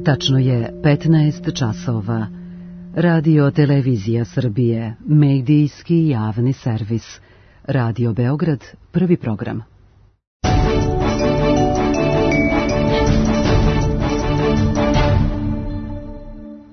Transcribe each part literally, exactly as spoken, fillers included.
Tačno je petnaest časova. Radio Televizija Srbije, medijski javni servis. Radio Beograd, prvi program.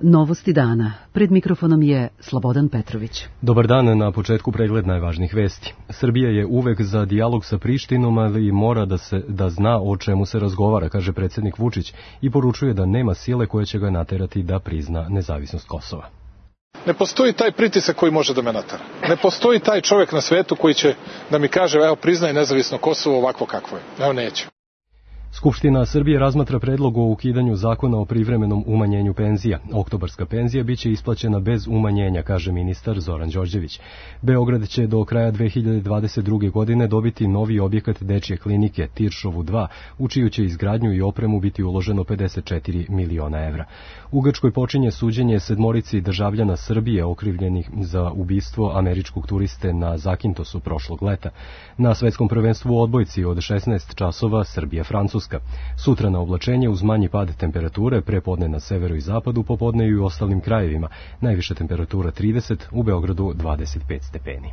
Novosti dana. Pred mikrofonom je Slobodan Petrović. Dobar dan, na početku pregled najvažnijih vesti. Srbija je uvek za dijalog sa Prištinom, ali mora da se da zna o čemu se razgovara, kaže predsjednik Vučić i poručuje da nema sile koja će ga naterati da prizna nezavisnost Kosova. Ne postoji taj pritisak koji može da me natera. Ne postoji taj čovjek na svetu koji će da mi kaže, evo, priznaj nezavisno Kosovo ovako kakvo je. Evo, neću. Skupština Srbije razmatra predlog o ukidanju zakona o privremenom umanjenju penzija. Oktobarska penzija biće isplaćena bez umanjenja, kaže ministar Zoran Đorđević. Beograd će do kraja dve hiljade dvadeset druge. godine dobiti novi objekat dečje klinike Tiršovu dva, u čiju će izgradnju i opremu biti uloženo pedeset četiri miliona evra. U Grčkoj počinje suđenje sedmorici državljana Srbije okrivljenih za ubistvo američkog turiste na Zakintosu prošlog leta. Na svetskom prvenstvu u odbojci od šesnaest časova Srbija-Francuska. Sutra na oblačenje uz manji pad temperature, prepodne na severu i zapadu, popodne i u ostalim krajevima. Najviša temperatura trideset, u Beogradu dvadeset pet stepeni.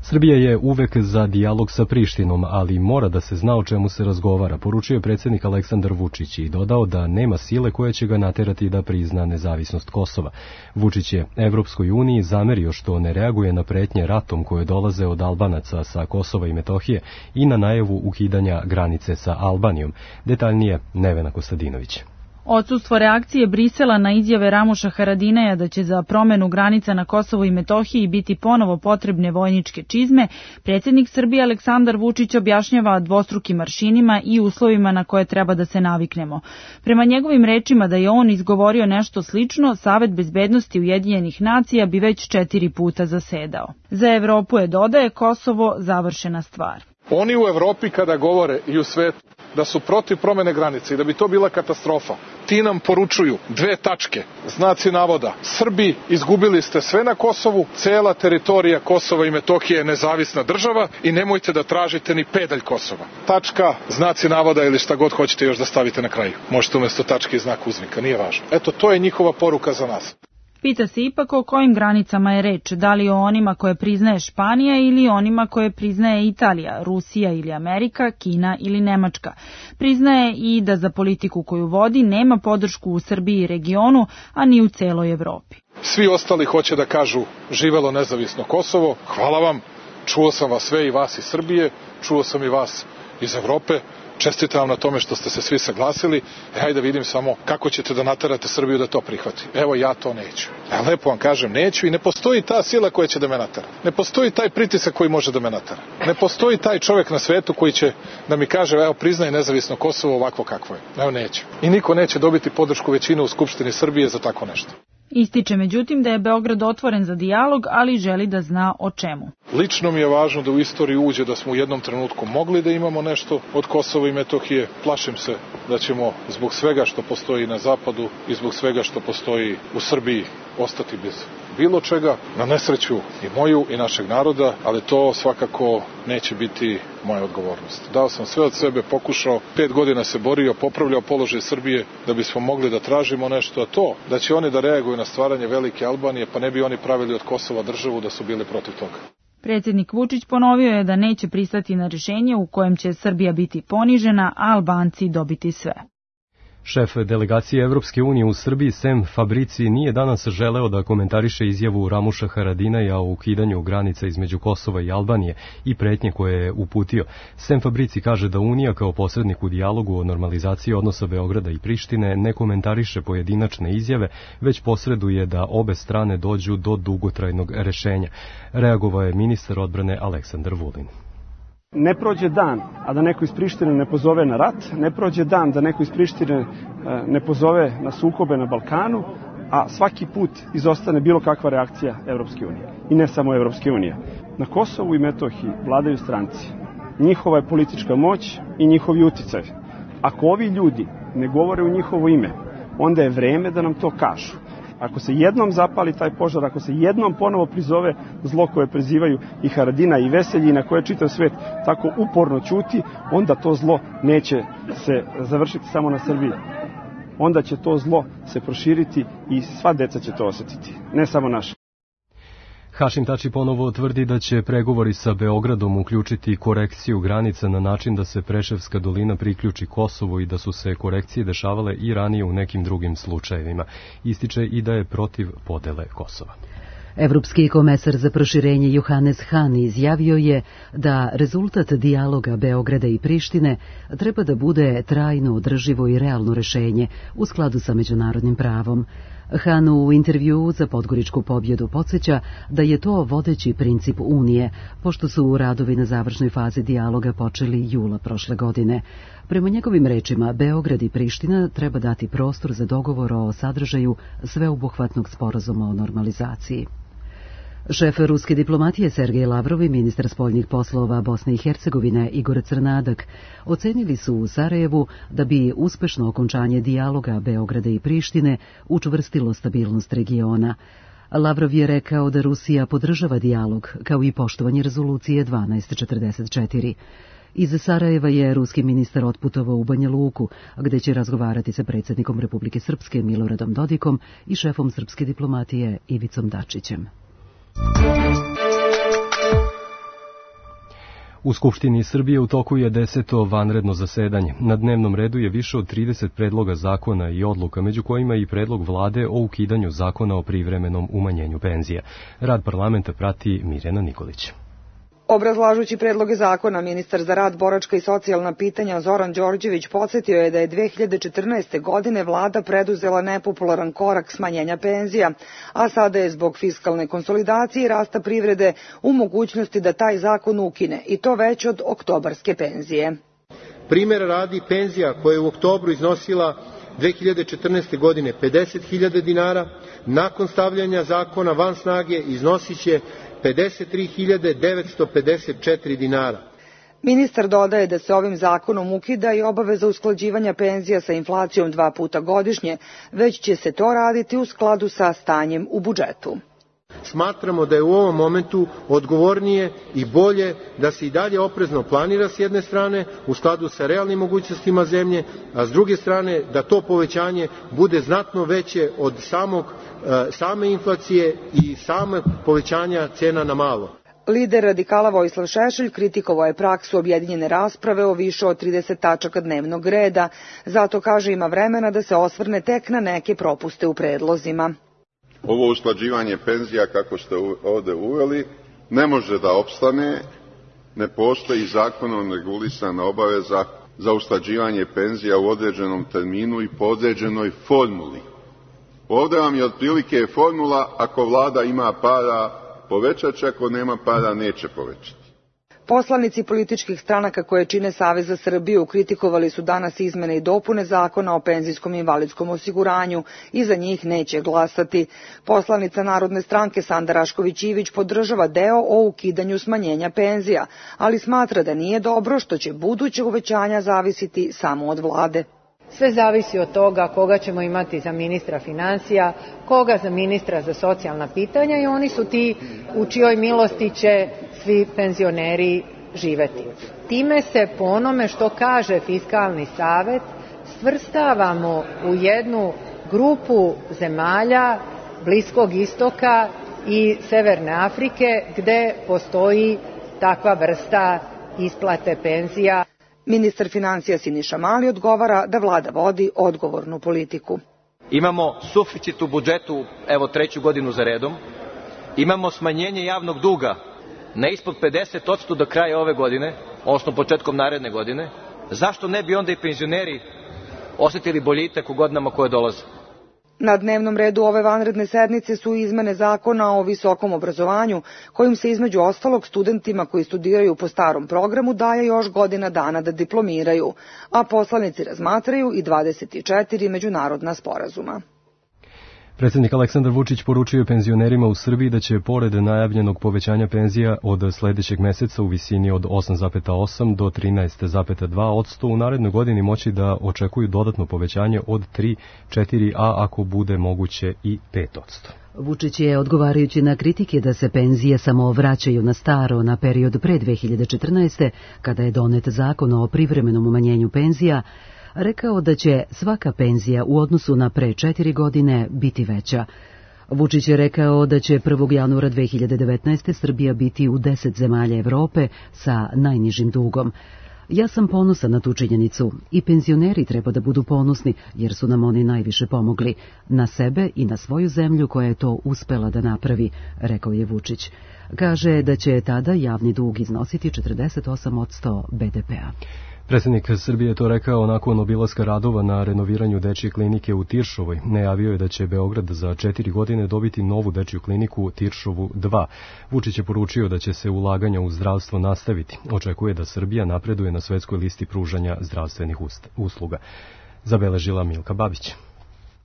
Srbija je uvek za dijalog sa Prištinom, ali mora da se zna o čemu se razgovara, poručio je predsjednik Aleksandar Vučić i dodao da nema sile koja će ga naterati da prizna nezavisnost Kosova. Vučić je Evropskoj uniji zamerio što ne reaguje na pretnje ratom koje dolaze od Albanaca sa Kosova i Metohije i na najavu ukidanja granice sa Albanijom. Detaljnije Nevena Kostadinović. Odsustvo reakcije Brisela na izjave Ramuša Haradinaja da će za promenu granica na Kosovu i Metohiji biti ponovo potrebne vojničke čizme, predsjednik Srbije Aleksandar Vučić objašnjava dvostrukim aršinima i uslovima na koje treba da se naviknemo. Prema njegovim rečima da je on izgovorio nešto slično, Savet bezbednosti Ujedinjenih nacija bi već četiri puta zasedao. Za Evropu je, dodaje, Kosovo završena stvar. Oni u Evropi kada govore i u svetu da su protiv promene granice i da bi to bila katastrofa, ti nam poručuju dve tačke, znaci navoda. Srbi, izgubili ste sve na Kosovu, cela teritorija Kosova i Metohije je nezavisna država i nemojte da tražite ni pedalj Kosova. Tačka, znaci navoda ili šta god hoćete još da stavite na kraju. Možete umjesto tačke i znak uzvika, nije važno. Eto, to je njihova poruka za nas. Pita se ipak o kojim granicama je reč, da li o onima koje priznaje Španija ili onima koje priznaje Italija, Rusija ili Amerika, Kina ili Nemačka. Priznaje i da za politiku koju vodi nema podršku u Srbiji i regionu, a ni u celoj Evropi. Svi ostali hoće da kažu živelo nezavisno Kosovo, hvala vam, čuo sam vas sve i vas iz Srbije, čuo sam i vas iz Evrope. Čestitam vam na tome što ste se svi saglasili. E, hajde vidim samo kako ćete da naterate Srbiju da to prihvati. Evo, ja to neću. Ja lepo vam kažem, neću i ne postoji ta sila koja će da me natera. Ne postoji taj pritisak koji može da me natera. Ne postoji taj čovjek na svetu koji će da mi kaže, evo, priznaj nezavisno Kosovo ovakvo kakvo je. Evo, neću. I niko neće dobiti podršku većine u Skupštini Srbije za tako nešto. Ističe međutim da je Beograd otvoren za dijalog, ali želi da zna o čemu. Lično mi je važno da u istoriju uđe da smo u jednom trenutku mogli da imamo nešto od Kosova i Metohije. Plašim se da ćemo zbog svega što postoji na zapadu i zbog svega što postoji u Srbiji ostati bez bilo čega, na nesreću i moju i našeg naroda, ali to svakako neće biti moja odgovornost. Dao sam sve od sebe, pokušao, pet godina se borio, popravljao položaj Srbije da bismo mogli da tražimo nešto, a to da će oni da reaguju na stvaranje velike Albanije, pa ne bi oni pravili od Kosova državu da su bili protiv toga. Predsjednik Vučić ponovio je da neće pristati na rješenje u kojem će Srbija biti ponižena, a Albanci dobiti sve. Šef delegacije Evropske unije u Srbiji Sem Fabrici nije danas želeo da komentariše izjavu Ramuša Haradinaja o ukidanju granica između Kosova i Albanije i pretnje koje je uputio. Sem Fabrici kaže da Unija kao posrednik u dijalogu o normalizaciji odnosa Beograda i Prištine ne komentariše pojedinačne izjave, već posreduje da obe strane dođu do dugotrajnog rešenja. Reagovao je ministar odbrane Aleksandar Vulin. Ne prođe dan, a da neko iz Prištine ne pozove na rat, ne prođe dan da neko iz Prištine ne pozove na sukobe na Balkanu, a svaki put izostane bilo kakva reakcija Evropske unije. I ne samo Evropske unije. Na Kosovu i Metohiji vladaju stranci. Njihova je politička moć i njihovi uticaj. Ako ovi ljudi ne govore u njihovo ime, onda je vreme da nam to kažu. Ako se jednom zapali taj požar, ako se jednom ponovo prizove zlo koje prizivaju i Haradina i Veselji, na koje čitav svet tako uporno ćuti, onda to zlo neće se završiti samo na Srbiji. Onda će to zlo se proširiti i sva deca će to osjetiti, ne samo naša. Hašim Tači ponovo tvrdi da će pregovori sa Beogradom uključiti korekciju granica na način da se Preševska dolina priključi Kosovu i da su se korekcije dešavale i ranije u nekim drugim slučajevima. Ističe i da je protiv podele Kosova. Evropski komesar za proširenje Johannes Hahn izjavio je da rezultat dijaloga Beograda i Prištine treba da bude trajno, održivo i realno rešenje u skladu sa međunarodnim pravom. Hahn u intervjuu za Podgoričku pobjedu podsjeća da je to vodeći princip Unije, pošto su radovi na završnoj fazi dijaloga počeli jula prošle godine. Prema njegovim rečima, Beograd i Priština treba dati prostor za dogovor o sadržaju sveobuhvatnog sporazuma o normalizaciji. Šef ruske diplomatije Sergej Lavrov i ministar spoljnih poslova Bosne i Hercegovine Igor Crnadak ocenili su u Sarajevu da bi uspešno okončanje dijaloga Beograda i Prištine učvrstilo stabilnost regiona. Lavrov je rekao da Rusija podržava dijalog, kao i poštovanje rezolucije dvanaest četrdeset četiri. Iz Sarajeva je ruski ministar otputovao u Banja Luku, gde će razgovarati sa predsjednikom Republike Srpske Miloradom Dodikom i šefom srpske diplomatije Ivicom Dačićem. U Skupštini Srbije u toku je deseto vanredno zasedanje. Na dnevnom redu je više od trideset predloga zakona i odluka, među kojima i predlog vlade o ukidanju zakona o privremenom umanjenju penzija. Rad parlamenta prati Mirjana Nikolić. Obrazlažući predloge zakona, ministar za rad, boračka i socijalna pitanja Zoran Đorđević podsjetio je da je dve hiljade četrnaeste. godine vlada preduzela nepopularan korak smanjenja penzija, a sada je zbog fiskalne konsolidacije i rasta privrede u mogućnosti da taj zakon ukine, i to već od oktobarske penzije. Primjera radi, penzija koja je u oktobru iznosila dve hiljade četrnaeste. godine pedeset hiljada dinara, nakon stavljanja zakona van snage iznosit će pedeset tri hiljade devetsto pedeset četiri dinara. Ministar dodaje da se ovim zakonom ukida i obaveza usklađivanja penzija sa inflacijom dva puta godišnje, već će se to raditi u skladu sa stanjem u budžetu. Smatramo da je u ovom momentu odgovornije i bolje da se i dalje oprezno planira s jedne strane u skladu sa realnim mogućnostima zemlje, a s druge strane da to povećanje bude znatno veće od samog, same inflacije i same povećanja cena na malo. Lider radikala Vojislav Šešelj kritikovao je praksu objedinjene rasprave o više od trideset tačaka dnevnog reda, zato kaže ima vremena da se osvrne tek na neke propuste u predlozima. Ovo usklađivanje penzija, kako ste ovde uveli, ne može da opstane, ne postoji zakonom regulisana obaveza za usklađivanje penzija u određenom terminu i po određenoj formuli. Ovde vam je otprilike formula, ako vlada ima para, povećat će, ako nema para, neće povećati. Poslanici političkih stranaka koje čine Savez za Srbiju kritikovali su danas izmene i dopune zakona o penzijskom i invalidskom osiguranju i za njih neće glasati. Poslanica Narodne stranke Sanda Rašković-Ivić podržava deo o ukidanju smanjenja penzija, ali smatra da nije dobro što će buduće uvećanja zavisiti samo od vlade. Sve zavisi od toga koga ćemo imati za ministra finansija, koga za ministra za socijalna pitanja i oni su ti u čijoj milosti će svi penzioneri živeti. Time se po onome što kaže Fiskalni savet svrstavamo u jednu grupu zemalja Bliskog istoka i Severne Afrike gde postoji takva vrsta isplate penzija. Ministar financija Siniša Mali odgovara da vlada vodi odgovornu politiku. Imamo suficit u budžetu, evo treću godinu za redom. Imamo smanjenje javnog duga na ispod pedeset posto do kraja ove godine, odnosno početkom naredne godine. Zašto ne bi onda i penzioneri osetili boljitak u godinama koje dolaze? Na dnevnom redu ove vanredne sednice su izmene zakona o visokom obrazovanju, kojim se između ostalog studentima koji studiraju po starom programu daje još godina dana da diplomiraju, a poslanici razmatraju i dvadeset četiri međunarodna sporazuma. Predsjednik Aleksandar Vučić poručio je penzionerima u Srbiji da će pored najavljenog povećanja penzija od sledećeg meseca u visini od osam zarez osam do trinaest zarez dva posto u narednoj godini moći da očekuju dodatno povećanje od tri, četiri, a ako bude moguće i pet posto. Vučić je, odgovarajući na kritike da se penzije samo vraćaju na staro na period pre dve hiljade četrnaeste. kada je donet zakon o privremenom umanjenju penzija, rekao da će svaka penzija u odnosu na pre četiri godine biti veća. Vučić je rekao da će prvog januara dve hiljade devetnaeste. Srbija biti u deset zemalja Evrope sa najnižim dugom. Ja sam ponosan na tu činjenicu i penzioneri treba da budu ponosni jer su nam oni najviše pomogli, na sebe i na svoju zemlju koja je to uspela da napravi, rekao je Vučić. Kaže da će tada javni dug iznositi četrdeset osam posto be de pea. Predsjednik Srbije je to rekao nakon obilaska radova na renoviranju dečje klinike u Tiršovoj. Najavio je da će Beograd za četiri godine dobiti novu dečju kliniku u Tiršovu dva. Vučić je poručio da će se ulaganja u zdravstvo nastaviti. Očekuje da Srbija napreduje na svetskoj listi pružanja zdravstvenih usluga. Zabeležila Milka Babić.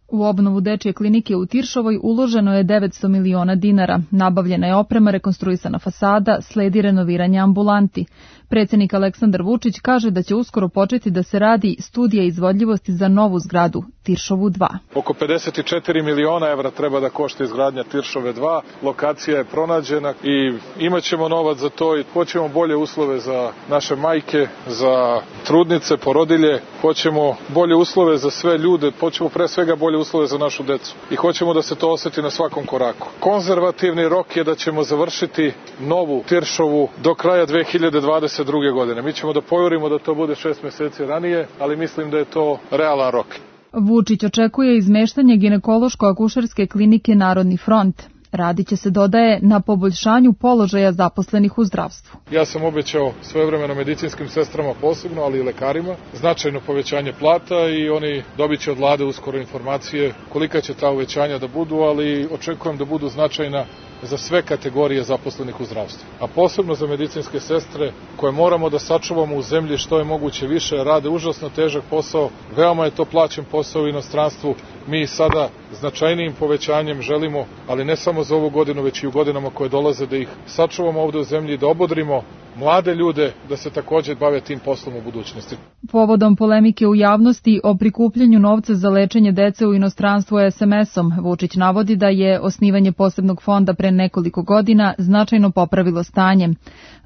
U obnovu dečje klinike u Tiršovoj uloženo je devetsto miliona dinara. Nabavljena je oprema, rekonstruisana fasada, sledi renoviranje ambulanti. Predsjednik Aleksandar Vučić kaže da će uskoro početi da se radi studija izvodljivosti za novu zgradu, Tiršovu dva. Oko pedeset četiri miliona evra treba da košta izgradnja Tiršove dva. Lokacija je pronađena i imat ćemo novac za to i hoćemo bolje uslove za naše majke, za trudnice, porodilje. Hoćemo bolje uslove za sve ljude, hoćemo pre svega bolje uslove za našu decu i hoćemo da se to oseti na svakom koraku. Konzervativni rok je da ćemo završiti novu Tiršovu do kraja dve hiljade dvadeset druge. godine. Mi ćemo da pojurimo da to bude šest meseci ranije, ali mislim da je to realan rok. Vučić očekuje izmeštanje ginekološko-akušerske klinike Narodni front. Radit će se, dodaje, na poboljšanju položaja zaposlenih u zdravstvu. Ja sam obećao svojevremeno medicinskim sestrama posebno, ali i lekarima, značajno povećanje plata i oni dobit će od vlade uskoro informacije kolika će ta uvećanja da budu, ali očekujem da budu značajna za sve kategorije zaposlenih u zdravstvu. A posebno za medicinske sestre koje moramo da sačuvamo u zemlji što je moguće više, rade užasno težak posao, veoma je to plaćen posao u inostranstvu. Mi sada značajnijim povećanjem želimo, ali ne samo za ovu godinu, već i u godinama koje dolaze, da ih sačuvamo ovde u zemlji, da obodrimo mlade ljude da se također bave tim poslom u budućnosti. Povodom polemike u javnosti o prikupljanju novca za lečenje dece u inostranstvu es em esom, Vučić navodi da je osnivanje posebnog fonda pre nekoliko godina značajno popravilo stanje.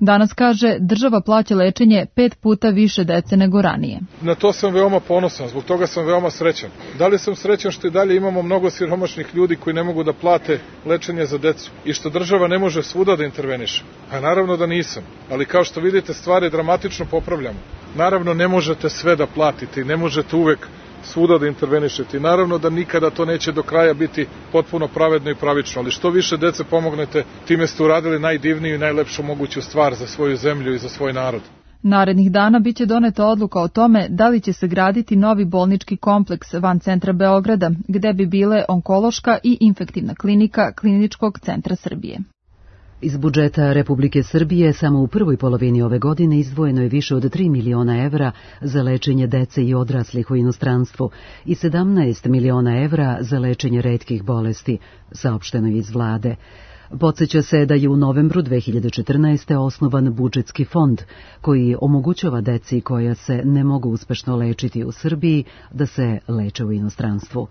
Danas, kaže, država plaća lečenje pet puta više dece nego ranije. Na to sam veoma ponosan, zbog toga sam veoma srećan. Da li sam srećan što i dalje imamo mnogo siromašnih ljudi koji ne mogu da plate lečenje za decu i što država ne može svuda da interveniše? A naravno da nisam, ali kao što vidite stvari dramatično popravljamo. Naravno ne možete sve da platite i ne možete uvek svuda da intervenišete. I naravno da nikada to neće do kraja biti potpuno pravedno i pravično, ali što više dece pomognete, time ste uradili najdivniju i najlepšu moguću stvar za svoju zemlju i za svoj narod. Narednih dana biće doneta odluka o tome da li će se graditi novi bolnički kompleks van centra Beograda, gde bi bile onkološka i infektivna klinika Kliničkog centra Srbije. Iz budžeta Republike Srbije samo u prvoj polovini ove godine izdvojeno je više od tri miliona evra za lečenje dece i odraslih u inostranstvu i sedamnaest miliona evra za lečenje retkih bolesti, saopšteno je iz vlade. Podseća se da je u novembru dve hiljade četrnaeste. osnovan budžetski fond koji omogućava deci koja se ne mogu uspešno lečiti u Srbiji da se leče u inostranstvu.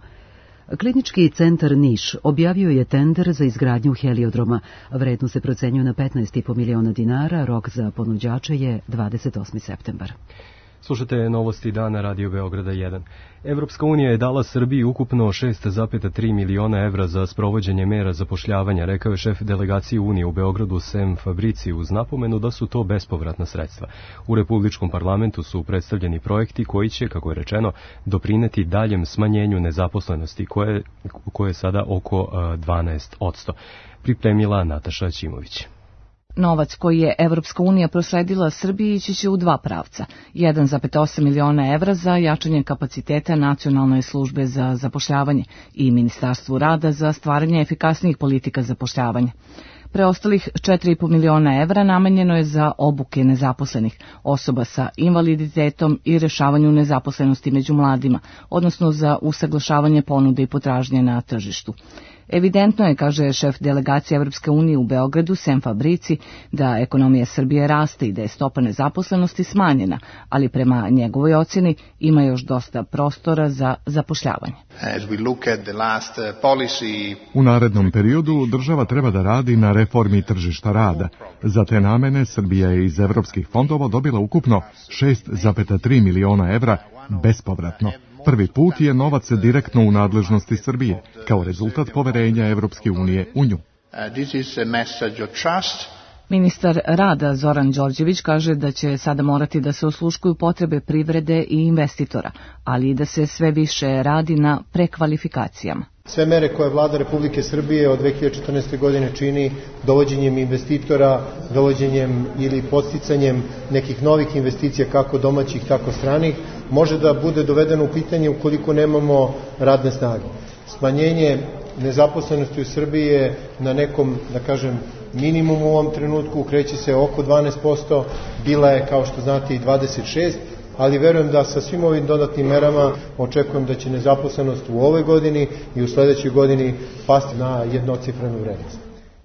Klinički centar Niš objavio je tender za izgradnju heliodroma. Vrednost se procenjuje na petnaest i po miliona dinara, rok za ponuđače je dvadeset osmi septembar. Slušate novosti dana Radio Beograda jedan. Evropska unija je dala Srbiji ukupno šest zarez tri miliona evra za sprovođenje mera zapošljavanja, rekao je šef delegacije Unije u Beogradu Sem Fabrici uz napomenu da su to bespovratna sredstva. U Republičkom parlamentu su predstavljeni projekti koji će, kako je rečeno, doprineti daljem smanjenju nezaposlenosti koje, koje je sada oko dvanaest posto. Pripremila Nataša Ćimović. Novac koji je Evropska unija prosledila Srbiji ići će u dva pravca. jedan zarez osam miliona evra za jačanje kapaciteta Nacionalne službe za zapošljavanje i Ministarstvu rada za stvaranje efikasnijih politika zapošljavanja. Preostalih četiri i po miliona evra namenjeno je za obuke nezaposlenih, osoba sa invaliditetom i rešavanju nezaposlenosti među mladima, odnosno za usaglašavanje ponude i potražnje na tržištu. Evidentno je, kaže šef delegacije Evropske unije u Beogradu, Sem Fabrici, da ekonomija Srbije raste i da je stopa nezaposlenosti smanjena, ali prema njegovoj ocjeni ima još dosta prostora za zapošljavanje. U narednom periodu država treba da radi na reformi tržišta rada. Za te namene Srbija je iz evropskih fondova dobila ukupno šest zarez tri miliona evra bespovratno. Prvi put je novac direktno u nadležnosti Srbije, kao rezultat poverenja Evropske unije u nju. Ministar rada Zoran Đorđević kaže da će sada morati da se osluškuju potrebe privrede i investitora, ali i da se sve više radi na prekvalifikacijama. Sve mere koje vlada Republike Srbije od dve hiljade četrnaeste. godine čini dovođenjem investitora, dovođenjem ili podsticanjem nekih novih investicija kako domaćih tako stranih, može da bude dovedeno u pitanje ukoliko nemamo radne snage. Smanjenje nezaposlenosti u Srbiji je na nekom, da kažem, minimum u ovom trenutku, kreće se oko dvanaest posto, bila je, kao što znate, i dvadeset šest posto, ali verujem da sa svim ovim dodatnim merama očekujem da će nezaposlenost u ovoj godini i u sledećoj godini pasti na jednocifrenu vrednost.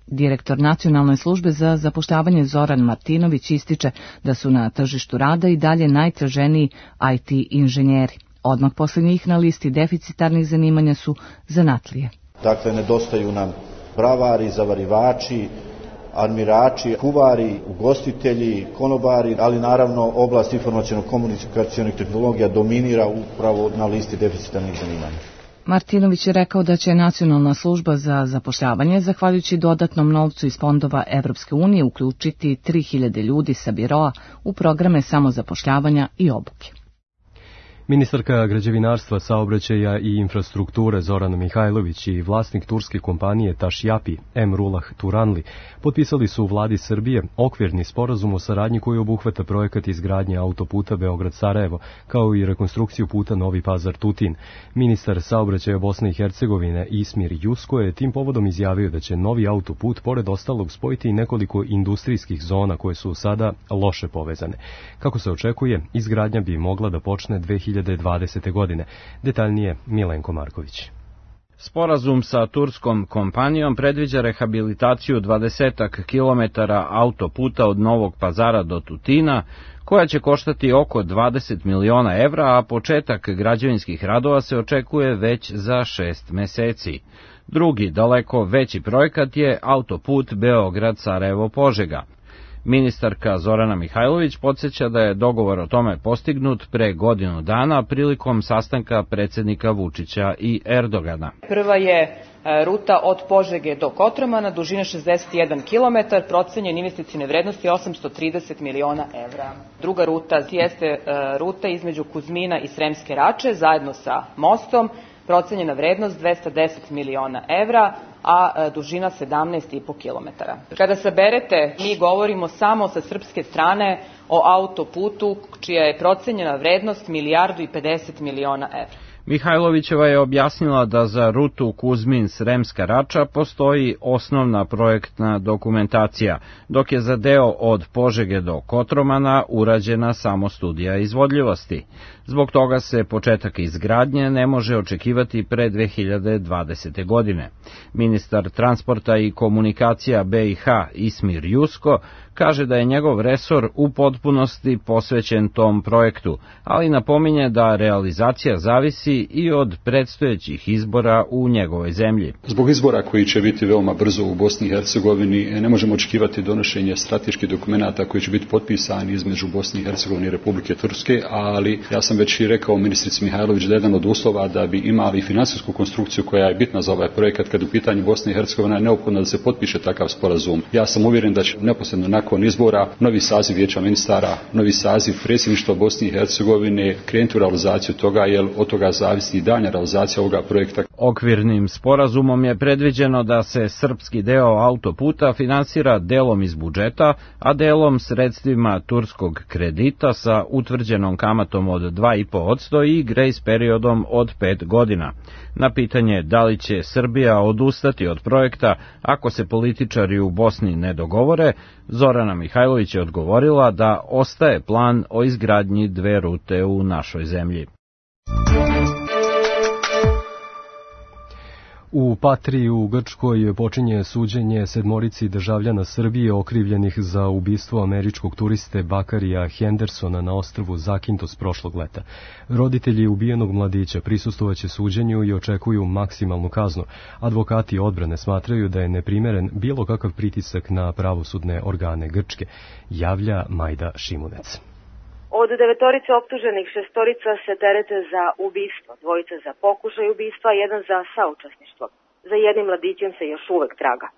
Direktor Nacionalne službe za zapošljavanje Zoran Martinović ističe da su na tržištu rada i dalje najtraženiji I T inženjeri. Odmah posle njih na listi deficitarnih zanimanja su zanatlije. Dakle, nedostaju nam bravari, zavarivači, armirači, kuvari, ugostitelji, konobari, ali naravno oblast informaciono-komunikacionih tehnologija dominira upravo na listi deficitarnih zanimanja. Martinović je rekao da će Nacionalna služba za zapošljavanje, zahvaljujući dodatnom novcu iz fondova Evropske unije, uključiti tri hiljade ljudi sa biroa u programe samozapošljavanja i obuke. Ministarka građevinarstva, saobraćaja i infrastrukture Zorana Mihajlović i vlasnik turske kompanije Tašjapi Emrullah Turanli potpisali su u vladi Srbije okvirni sporazum o saradnji koji obuhvata projekat izgradnje autoputa Beograd-Sarajevo, kao i rekonstrukciju puta Novi Pazar-Tutin. Ministar saobraćaja Bosne i Hercegovine Ismir Jusko je tim povodom izjavio da će novi autoput pored ostalog spojiti i nekoliko industrijskih zona koje su sada loše povezane. Kako se očekuje, izgradnja bi mogla da počne dve hiljade dvadesete. godine. Detaljnije Milenko Marković. Sporazum sa turskom kompanijom predviđa rehabilitaciju dvadesetak kilometara autoputa od Novog Pazara do Tutina, koja će koštati oko dvadeset miliona evra, a početak građevinskih radova se očekuje već za šest meseci. Drugi, daleko veći projekat je autoput Beograd-Sarajevo-Požega. Ministarka Zorana Mihajlović podsjeća da je dogovor o tome postignut pre godinu dana prilikom sastanka predsjednika Vučića i Erdogana. Prva je ruta od Požege do Kotromana, dužine šezdeset jedan kilometar, procenjen investicione vrednosti osamsto trideset miliona evra. Druga ruta jeste ruta između Kuzmina i Sremske Rače, zajedno sa mostom, procenjena vrednost dvesta deset miliona evra, a dužina sedamnaest i po kilometara. Kada saberete, mi govorimo samo sa srpske strane o autoputu čija je procenjena vrednost milijardu i pedeset miliona evra. Mihajlovićeva je objasnila da za rutu Kuzmin-Sremska Rača postoji osnovna projektna dokumentacija, dok je za deo od Požege do Kotromana urađena samo studija izvodljivosti. Zbog toga se početak izgradnje ne može očekivati pre dve hiljade dvadesete. godine. Ministar transporta i komunikacija B i H Ismir Jusko kaže da je njegov resor u potpunosti posvećen tom projektu, ali napominje da realizacija zavisi i od predstojećih izbora u njegovoj zemlji. Zbog izbora koji će biti veoma brzo u Bosni i Hercegovini ne možemo očekivati donošenje strateških dokumenata koji će biti potpisani između Bosne i Hercegovine i Republike Turske, ali ja sam već i rekao ministrici Mihajlović da je jedan od uslova da bi imali finansijsku konstrukciju koja je bitna za ovaj projekat kad u pitanju Bosne i Hercegovine je neophodno da se potpiše takav sporazum. Ja sam uvjeren da će neposredno nakon izbora novi saziv vijeća ministara, novi saziv predsjedništva Bosne i Hercegovine krenuti u realizaciju toga, jer od toga za zavisi i daljnja realizacija ovoga projekta. Okvirnim sporazumom je predviđeno da se srpski deo autoputa finansira delom iz budžeta, a delom sredstvima turskog kredita sa utvrđenom kamatom od dva i po posto i grace periodom od pet godina. Na pitanje da li će Srbija odustati od projekta ako se političari u Bosni ne dogovore, Zorana Mihajlović je odgovorila da ostaje plan o izgradnji dve rute u našoj zemlji. U Patriji u Grčkoj počinje suđenje sedmorici državljana Srbije okrivljenih za ubistvo američkog turiste Bakarija Hendersona na ostrvu Zakintos prošlog leta. Roditelji ubijenog mladića prisustvovaće suđenju i očekuju maksimalnu kaznu. Advokati odbrane smatraju da je neprimeren bilo kakav pritisak na pravosudne organe Grčke, javlja Majda Šimunec. Od devetorice optuženih šestorica se terete za ubistvo, dvojica za pokušaj ubistva, jedan za saučesništvo. Za jednim mladićem se još uvek traga.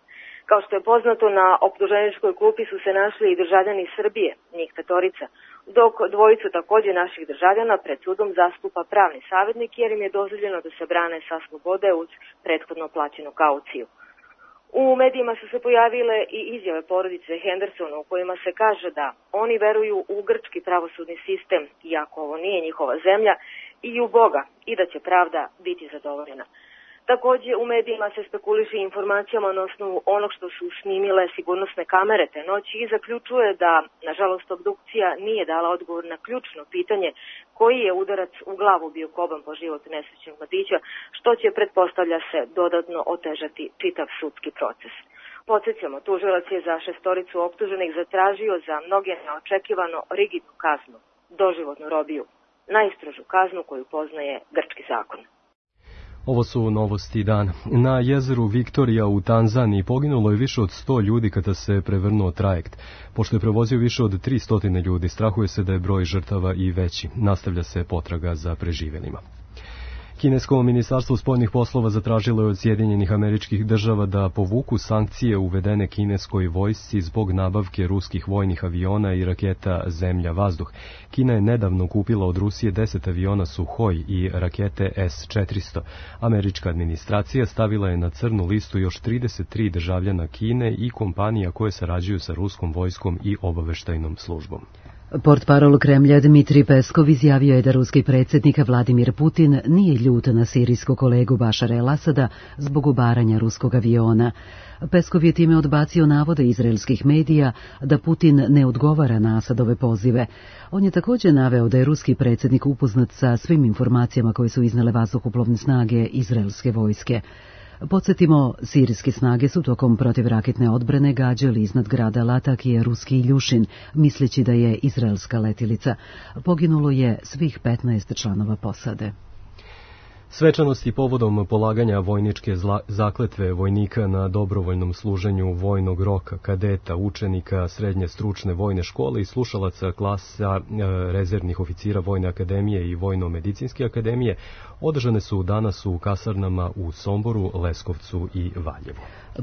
Kao što je poznato, na optuženičkoj klupi su se našli i državljani Srbije, njih petorica, dok dvojicu takođe naših državljana pred sudom zastupa pravni savjetnik jer im je dozvoljeno da se brane sa slobode uz prethodno plaćenu kauciju. U medijima su se pojavile i izjave porodice Hendersona u kojima se kaže da oni veruju u grčki pravosudni sistem, iako ovo nije njihova zemlja, i u Boga, i da će pravda biti zadovoljena. Takođe, u medijima se spekuliše informacijama na osnovu onog što su snimile sigurnosne kamere te noći i zaključuje da, nažalost, obdukcija nije dala odgovor na ključno pitanje koji je udarac u glavu bio koban po život nesrećnog mladića, što će, pretpostavlja se, dodatno otežati čitav sudski proces. Podsjećamo, tužilac je za šestoricu optuženih zatražio za mnoge neočekivano rigidnu kaznu, doživotnu robiju, najstrožu kaznu koju poznaje grčki zakon. Ovo su novosti dana. Na jezeru Viktorija u Tanzaniji poginulo je više od sto ljudi kada se prevrnuo trajekt. Pošto je prevozio više od tristo ljudi, strahuje se da je broj žrtava i veći. Nastavlja se potraga za preživjelima. Kinesko ministarstvo spoljnih poslova zatražilo je od Sjedinjenih Američkih Država da povuku sankcije uvedene kineskoj vojsci zbog nabavke ruskih vojnih aviona i raketa Zemlja-vazduh. Kina je nedavno kupila od Rusije deset aviona Suhoj i rakete S četiristo. Američka administracija stavila je na crnu listu još trideset tri državljana Kine i kompanija koje sarađuju sa ruskom vojskom i obaveštajnom službom. Portparol Kremlja Dmitrij Peskov izjavio je da ruski predsjednik Vladimir Putin nije ljut na sirijskog kolegu Bašara el-Asada zbog ubaranja ruskog aviona. Peskov je time odbacio navode izraelskih medija da Putin ne odgovara na Asadove pozive. On je također naveo da je ruski predsjednik upoznat sa svim informacijama koje su iznele vazduhoplovne snage izraelske vojske. Podsjetimo, sirijske snage su tokom protivraketne odbrane gađali iznad grada Latakije ruski Iljušin, misleći da je izraelska letilica. Poginulo je svih petnaest članova posade. Svečanosti povodom polaganja vojničke zakletve vojnika na dobrovoljnom služenju vojnog roka, kadeta, učenika srednje stručne vojne škole i slušalaca klasa rezervnih oficira Vojne akademije i Vojno-medicinske akademije održane su danas u kasarnama u Somboru, Leskovcu i Valjevu.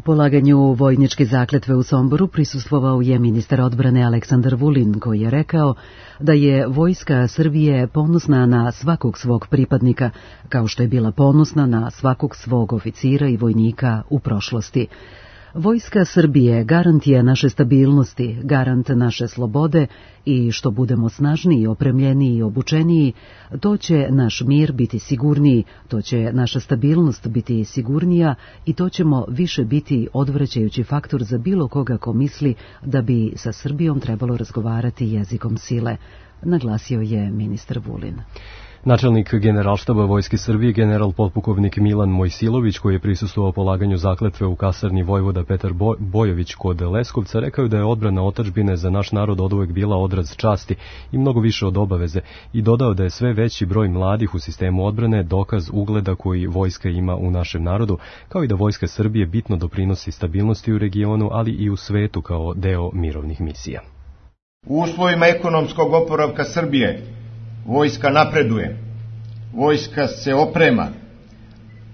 Polaganju vojničke zakletve u Somboru prisustvovao je ministar odbrane Aleksandar Vulin, koji je rekao da je vojska Srbije ponosna na svakog svog pripadnika, kao što je bila ponosna na svakog svog oficira i vojnika u prošlosti. Vojska Srbije garant je naše stabilnosti, garant naše slobode i što budemo snažniji, opremljeniji i obučeniji, to će naš mir biti sigurniji, to će naša stabilnost biti sigurnija i to ćemo više biti odvraćajući faktor za bilo koga ko misli da bi sa Srbijom trebalo razgovarati jezikom sile, naglasio je ministar Vulin. Načelnik Generalštaba Vojske Srbije, general potpukovnik Milan Mojsilović, koji je prisustvovao polaganju zakletve u kasarni vojvoda Petar Bojović kod Leskovca, rekao je da je odbrana otadžbine za naš narod oduvek bila odraz časti i mnogo više od obaveze i dodao da je sve veći broj mladih u sistemu odbrane dokaz ugleda koji vojska ima u našem narodu, kao i da Vojska Srbije bitno doprinosi stabilnosti u regionu, ali i u svetu kao deo mirovnih misija. U uslovima ekonomskog oporavka Srbije vojska napreduje, vojska se oprema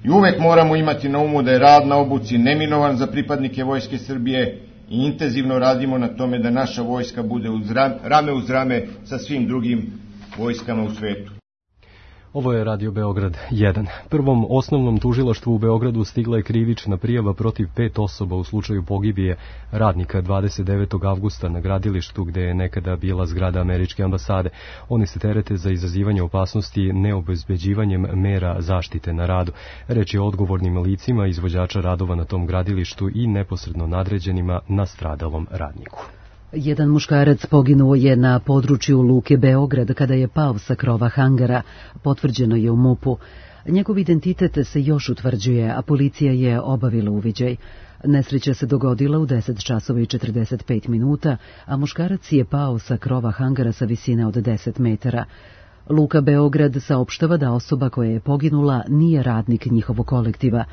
i uvek moramo imati na umu da je rad na obuci neminovan za pripadnike Vojske Srbije i intenzivno radimo na tome da naša vojska bude uz rame uz rame sa svim drugim vojskama u svetu. Ovo je Radio Beograd jedan. Prvom osnovnom tužilaštvu u Beogradu stigla je krivična prijava protiv pet osoba u slučaju pogibije radnika dvadeset devetog avgusta na gradilištu gde je nekada bila zgrada američke ambasade. Oni se terete za izazivanje opasnosti neobezbeđivanjem mera zaštite na radu. Reč je o odgovornim licima izvođača radova na tom gradilištu i neposredno nadređenima nastradalom radniku. Jedan muškarac poginuo je na području Luke Beograd kada je pao sa krova hangara, potvrđeno je u MUP-u. Njegov identitet se još utvrđuje, a policija je obavila uviđaj. Nesreća se dogodila u deset časova i četrdeset pet minuta, a muškarac je pao sa krova hangara sa visine od deset metara. Luka Beograd saopštava da osoba koja je poginula nije radnik njihovog kolektiva.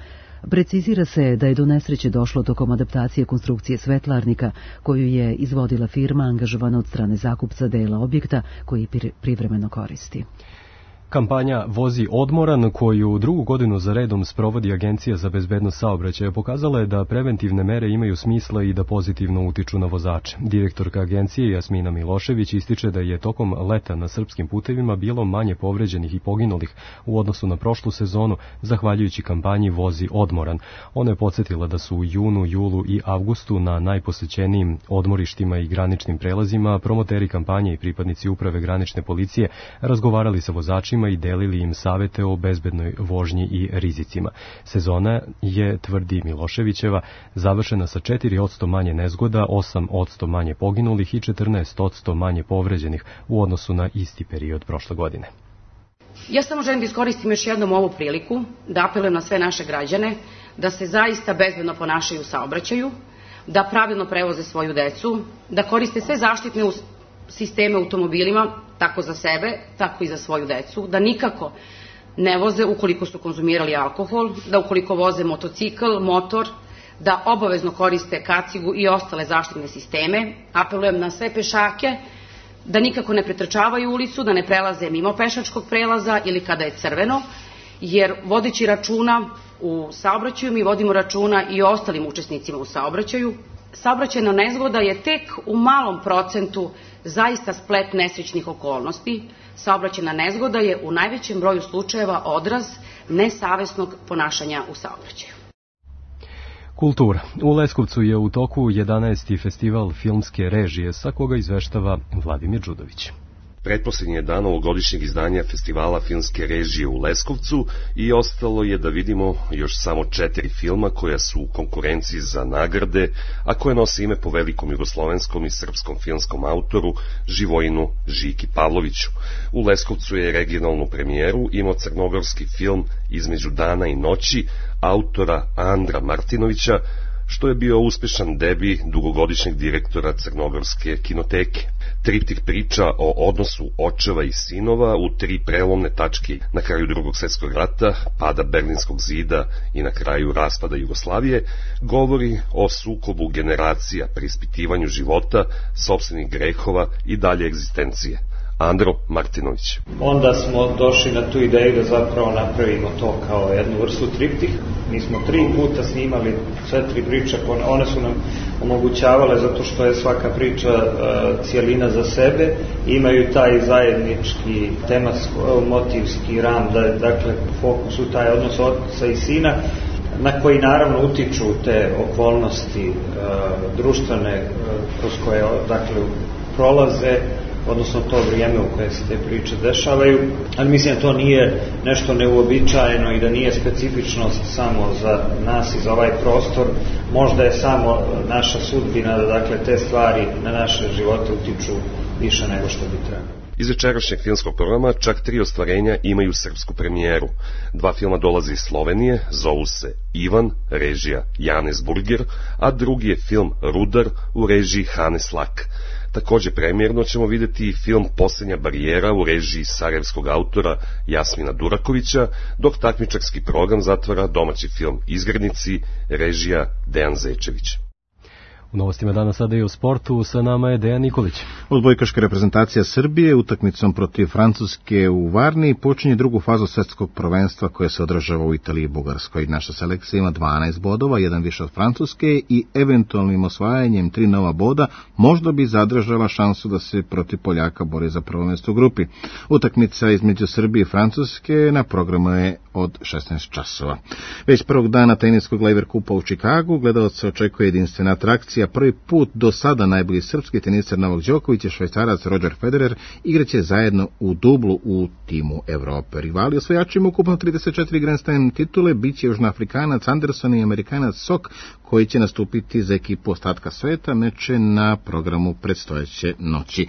Precizira se da je do nesreće došlo tokom adaptacije konstrukcije svetlarnika koju je izvodila firma angažovana od strane zakupca dela objekta koji privremeno koristi. Kampanja Vozi odmoran, koju drugu godinu za redom sprovodi Agencija za bezbednost saobraćaja, pokazala je da preventivne mere imaju smisla i da pozitivno utiču na vozače. Direktorka agencije Jasmina Milošević ističe da je tokom leta na srpskim putevima bilo manje povređenih i poginulih u odnosu na prošlu sezonu, zahvaljujući kampanji Vozi odmoran. Ona je podsjetila da su u junu, julu i avgustu na najposećenijim odmorištima i graničnim prelazima promoteri kampanje i pripadnici uprave granične policije razgovarali sa vozačima i delili im savete o bezbednoj vožnji i rizicima. Sezona je, tvrdi Miloševićeva, završena sa četiri posto manje nezgoda, osam posto manje poginulih i četrnaest posto manje povređenih u odnosu na isti period prošle godine. Ja samo želim da iskoristim još jednom ovu priliku, da apelujem na sve naše građane, da se zaista bezbedno ponašaju u saobraćaju, da pravilno prevoze svoju decu, da koriste sve zaštitne sisteme automobilima, tako za sebe, tako i za svoju decu, da nikako ne voze ukoliko su konzumirali alkohol, da ukoliko voze motocikl, motor, da obavezno koriste kacigu i ostale zaštitne sisteme. Apelujem na sve pešake da nikako ne pretrčavaju ulicu, da ne prelaze mimo pešačkog prelaza ili kada je crveno, jer vodeći računa u saobraćaju mi vodimo računa i o ostalim učesnicima u saobraćaju. Saobraćajna nezgoda je tek u malom procentu zaista splet nesrećnih okolnosti. Saobraćajna nezgoda je u najvećem broju slučajeva odraz nesavesnog ponašanja u saobraćaju. Kultura. U Leskovcu je u toku jedanaesti festival filmske režije, sa koga izveštava Vladimir Đudović. Pretposlednji je dan ovogodišnjeg izdanja festivala filmske režije u Leskovcu i ostalo je da vidimo još samo četiri filma koja su u konkurenciji za nagrade, a koje nose ime po velikom jugoslovenskom i srpskom filmskom autoru Živojinu Žiki Pavloviću. U Leskovcu je regionalnu premijeru imao crnogorski film Između dana i noći autora Andra Martinovića, što je bio uspešan debi dugogodišnjeg direktora Crnogorske kinoteke. Triptih priča o odnosu očeva i sinova u tri prelomne tačke na kraju Drugog svjetskog rata, pada Berlinskog zida i na kraju raspada Jugoslavije, govori o sukobu generacija, preispitivanju života, sopstvenih grehova i dalje egzistencije. Andro Martinović. Onda smo došli na tu ideju da zapravo napravimo to kao jednu vrstu triptih. Mi smo tri puta snimali sve tri priče, one su nam omogućavale zato što je svaka priča uh, cijelina za sebe, imaju taj zajednički tematsko-motivski ram, da je dakle fokus u taj odnos oca i sina, na koji naravno utiču te okolnosti uh, društvene uh, kroz koje dakle prolaze, odnosno to vrijeme u koje se te priče dešavaju, ali mislim da to nije nešto neuobičajeno i da nije specifičnost samo za nas i za ovaj prostor, možda je samo naša sudbina da dakle te stvari na naše živote utiču više nego što bi trebalo. Iz večerašnjeg filmskog programa čak tri ostvarenja imaju srpsku premijeru. Dva filma dolaze iz Slovenije, zovu se Ivan, režija Janez Burger, a drugi je film Rudar u režiji Hanes Lak. Takođe premijerno ćemo videti i film Poslednja barijera u režiji sarajevskog autora Jasmina Durakovića, dok takmičarski program zatvara domaći film Izgrednici, režija Dejan Zečević. U novostima danas sada i o sportu, sa nama je Dejan Nikolić. Odbojkaška reprezentacija Srbije utakmicom protiv Francuske u Varni počinje drugu fazu svetskog prvenstva koja se održava u Italiji i Bugarskoj. Naša selekcija ima dvanaest bodova, jedan više od Francuske i eventualnim osvajanjem tri nova boda možda bi zadržala šansu da se protiv Poljaka bori za prvo mjesto u grupi. Utakmica između Srbije i Francuske na programu je od šesnaest časova. Već prvog dana teniskog Laver Kupa u Čikagu gledalaca očekuje jedinstvena atrakcija. Prvi put do sada najbolji srpski teniser Novak Đoković i Švajcarac Roger Federer igraće zajedno u dublu u timu Evrope. Rivali osvajačima ukupno trideset četiri Grand Slam titule biće Južnoafrikanac Anderson i Amerikanac Sok, koji će nastupiti za ekipu ostatka sveta. Meče na programu predstojeće noći.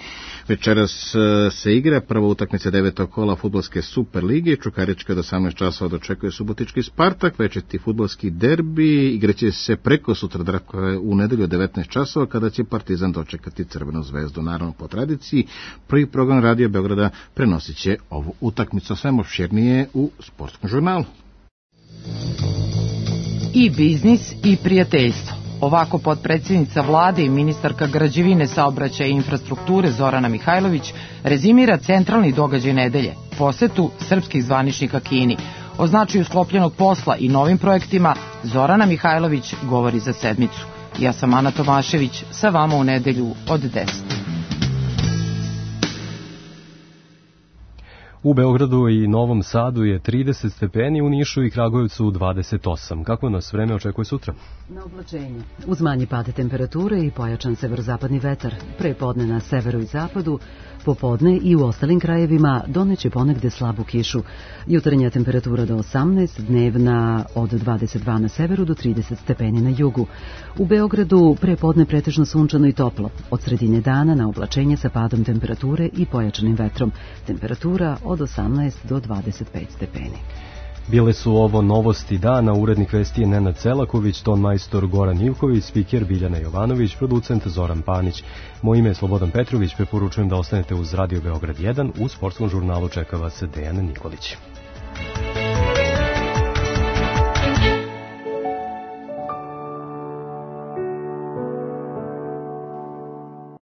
Večeras se igra prva utakmica devetog kola fudbalske Super lige. Čukarička od osamnaest časova dočekuje Subotički Spartak. Večeti fudbalski derbi igraće se preko sutra, dakle u nedelju devetnaest časova, kada će Partizan dočekati Crvenu zvezdu. Naravno, po tradiciji, prvi program Radio Beograda prenosit će ovu utakmicu. Sve opširnije u Sportskom žurnalu. I biznis i prijateljstvo. Ovako potpredsjednica vlade i ministarka građevine, saobraćaja i infrastrukture Zorana Mihajlović rezimira centralni događaj nedelje, posetu srpskih zvaničnika Kini. O značaju sklopljenog posla i novim projektima Zorana Mihajlović govori za sedmicu. Ja sam Ana Tomašević, sa vama u nedelju od deset. U Beogradu i Novom Sadu je trideset stepeni, u Nišu i Kragujevcu dvadeset osam. Kako nas vreme očekuje sutra? Na oblačenje. Uz manji pad temperature i pojačan severozapadni vetar. Pre podne na severu i zapadu, popodne i u ostalim krajevima doneće ponegde slabu kišu. Jutarnja temperatura do osamnaest, dnevna od dvadeset dva na severu do trideset stepeni na jugu. U Beogradu pre podne pretežno sunčano i toplo. Od sredine dana na oblačenje sa padom temperature i pojačanim vetrom. Temperatura od osamnaest do dvadeset pet stepeni. Bile su ovo novosti dana, urednik vesti je Nenad Celaković, ton majstor Goran Ivković, spiker Biljana Jovanović, producent Zoran Panić. Moje ime je Slobodan Petrović, preporučujem da ostanete uz Radio Beograd jedan, u sportskom žurnalu čeka vas Dejan Nikolić.